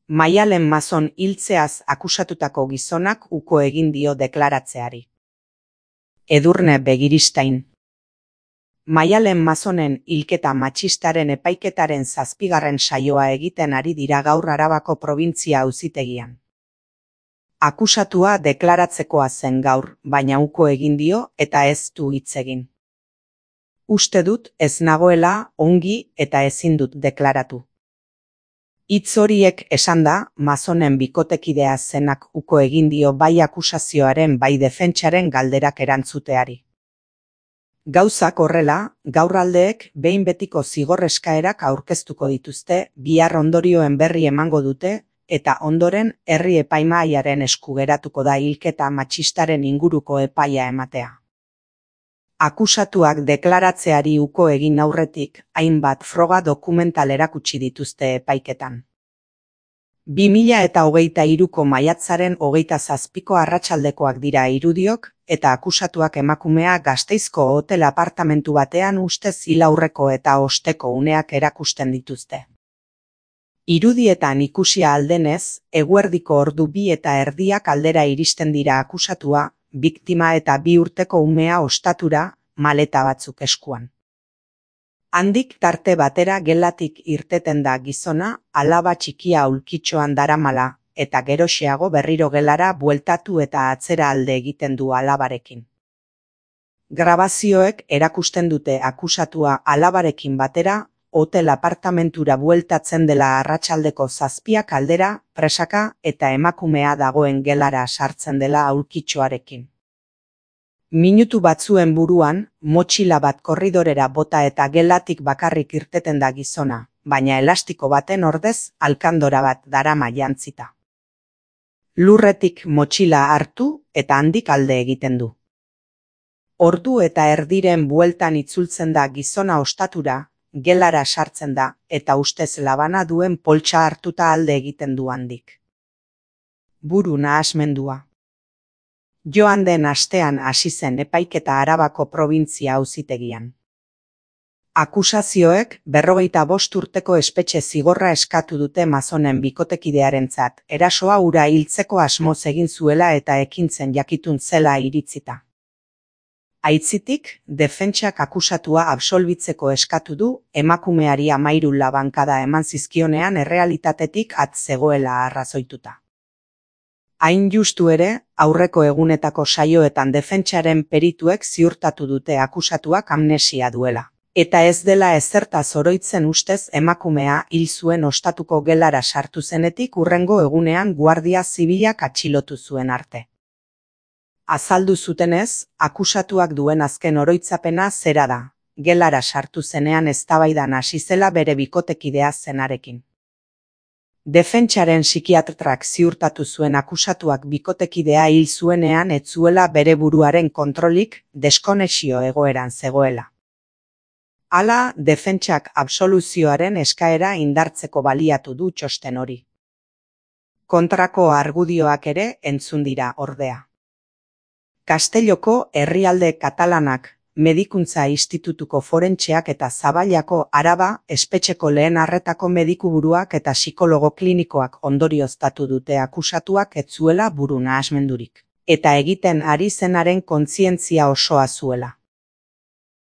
Maialen Mazon hiltzeaz akusatutako gizonak uko egin dio deklaratzeari. Edurne Begiristain. Maialen Mazonen hilketa matxistaren epaiketaren 7. saioa egiten ari dira gaur Arabako probintzia auzitegian. Akusatua deklaratzekoa zen gaur, baina uko egin dio eta ez du hitz egin. Uste dut ez nagoela ongi eta ezin dut deklaratu. Hitz horiek esanda, Mazonen bikotekidea zenak uko egin dio bai akusazioaren bai defentsaren galderak erantzuteari. Gauzak horrela, gaur aldeek behin betiko zigor eskaerak aurkeztuko dituzte, bihar ondorioen berri emango dute, eta ondoren herri epaimahaiaren esku geratuko da hilketa matxistaren inguruko epaia ematea. Akusatuak deklaratzeari uko egin aurretik, hainbat froga dokumental erakutsi dituzte epaiketan. 2023ko maiatzaren 27ko arratsaldekoak dira irudiok, eta akusatuak emakumea Gasteizko hotel apartamentu batean ustez hil aurreko eta osteko uneak erakusten dituzte. Irudietan ikusia aldenez, eguerdiko ordu 2:30 aldera iristen dira akusatua, biktima eta 2 urteko umea ostatura, maleta batzuk eskuan. Handik tarte batera gelatik irteten da gizona, alaba txikia aulkitxoan daramala, eta geroxeago berriro gelara bueltatu eta atzera alde egiten du alabarekin. Grabazioek erakusten dute akusatua alabarekin batera, hotel apartamentura bueltatzen dela arratsaldeko 7 aldera, presaka eta emakumea dagoen gelara sartzen dela aulkitxoarekin. Minutu batzuen buruan, motxila bat korridorera bota eta gelatik bakarrik irteten da gizona, baina elastiko baten ordez alkandora bat darama jantzita. Lurretik motxila hartu eta handik alde egiten du. Ordu eta erdiren bueltan itzultzen da gizona ostatura, gelara sartzen da eta ustez labana duen poltsa hartuta alde egiten du handik. Buru nahasmendua. Joan den astean hasi zen epaiketa Arabako probintzia auzitegian. Akusazioek 45 urteko espetxe zigorra eskatu dute Mazonen bikotekidearentzat, erasoa hura hiltzeko asmoz egin zuela eta ekintzen jakitun zela iritzita. Aitzitik, defentsak akusatua absolbitzeko eskatu du, emakumeari 13 labankada eman zizkionean errealitatetik at zegoela arrazoituta. Hain justu ere, aurreko egunetako saioetan defentsaren perituek ziurtatu dute akusatuak amnesia duela. Eta ez dela ezertaz oroitzen ustez emakumea hil zuen ostatuko gelara sartu zenetik hurrengo egunean Guardia Zibilak atxilotu zuen arte. Azaldu zutenez, akusatuak duen azken oroitzapena zera da, gelara sartu zenean eztabaidan hasi zela bere bikotekidea zenarekin. Defentsaren psikiatrak ziurtatu zuen akusatuak bikotekidea hil zuenean ez zuela bere buruaren kontrolik, deskonexio egoeran zegoela. Hala, defentsak absoluzioaren eskaera indartzeko baliatu du txosten hori. Kontrako argudioak ere entzun dira ordea. Castelloko herrialde katalanak, Medikuntza Institutuko forentseak eta Zaballako Araba espetxeko lehen arretako medikuburuak eta psikologo klinikoak ondorioztatu dute akusatuak ez zuela buru nahasmendurik, eta egiten ari zenaren kontzientzia osoa zuela.